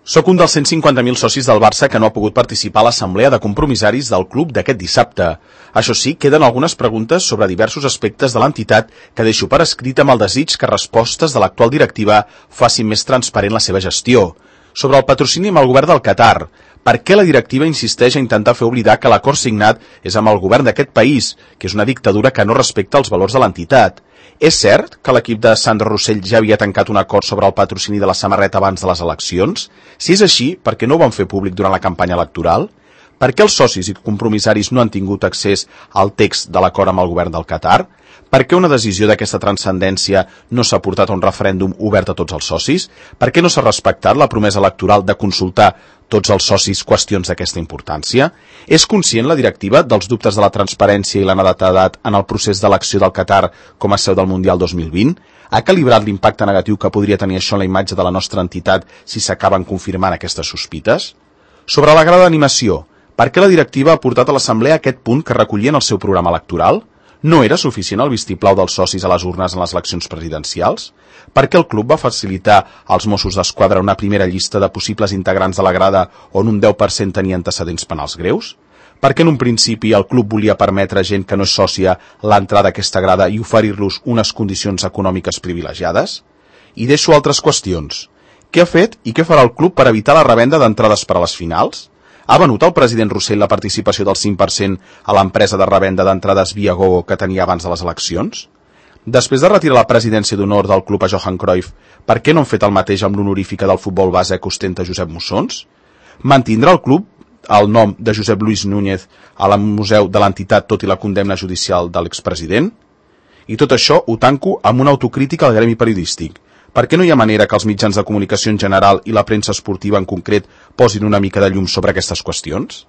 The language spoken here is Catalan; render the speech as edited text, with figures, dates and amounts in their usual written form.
Soc un dels 150.000 socis del Barça que no ha pogut participar a l'assemblea de compromissaris del club d'aquest dissabte. Això sí, queden algunes preguntes sobre diversos aspectes de l'entitat que deixo per escrit amb el desig que respostes de l'actual directiva facin més transparent la seva gestió. Sobre el patrocini amb el govern del Qatar. Per què la directiva insisteix a intentar fer oblidar que l'acord signat és amb el govern d'aquest país, que és una dictadura que no respecta els valors de l'entitat? És cert que l'equip de Sandro Rossell ja havia tancat un acord sobre el patrocini de la samarreta abans de les eleccions? Si és així, per què no ho van fer públic durant la campanya electoral? Per què els socis i compromissaris no han tingut accés al text de l'acord amb el govern del Qatar? Per què una decisió d'aquesta transcendència no s'ha portat a un referèndum obert a tots els socis? Per què no s'ha respectat la promesa electoral de consultar tots els socis qüestions d'aquesta importància? És conscient la directiva dels dubtes de la transparència i la netedat en el procés d'elecció del Qatar com a seu del Mundial 2020? Ha calibrat l'impacte negatiu que podria tenir això en la imatge de la nostra entitat si s'acaben confirmant aquestes sospites? Sobre la grada d'animació, per què la directiva ha portat a l'assemblea aquest punt que recollia en el seu programa electoral? No era suficient el vistiplau dels socis a les urnes en les eleccions presidencials? Per què el club va facilitar als Mossos d'Esquadra una primera llista de possibles integrants de la grada on un 10% tenia antecedents penals greus? Per què en un principi el club volia permetre a gent que no és sòcia l'entrada a aquesta grada i oferir-los unes condicions econòmiques privilegiades? I deixo altres qüestions. Què ha fet i què farà el club per evitar la revenda d'entrades per a les finals? Ha venut el president Rossell la participació del 5% a l'empresa de revenda d'entrades via Gogo que tenia abans de les eleccions? Després de retirar la presidència d'honor del club a Johan Cruyff, per què no han fet el mateix amb l'honorífica del futbol base que ostenta Josep Mussons? Mantindrà el club el nom de Josep Luis Núñez al museu de l'entitat tot i la condemna judicial de l'expresident? I tot això ho tanco amb una autocrítica al gremi periodístic. Per què no hi ha manera que els mitjans de comunicació en general i la premsa esportiva en concret posin una mica de llum sobre aquestes qüestions?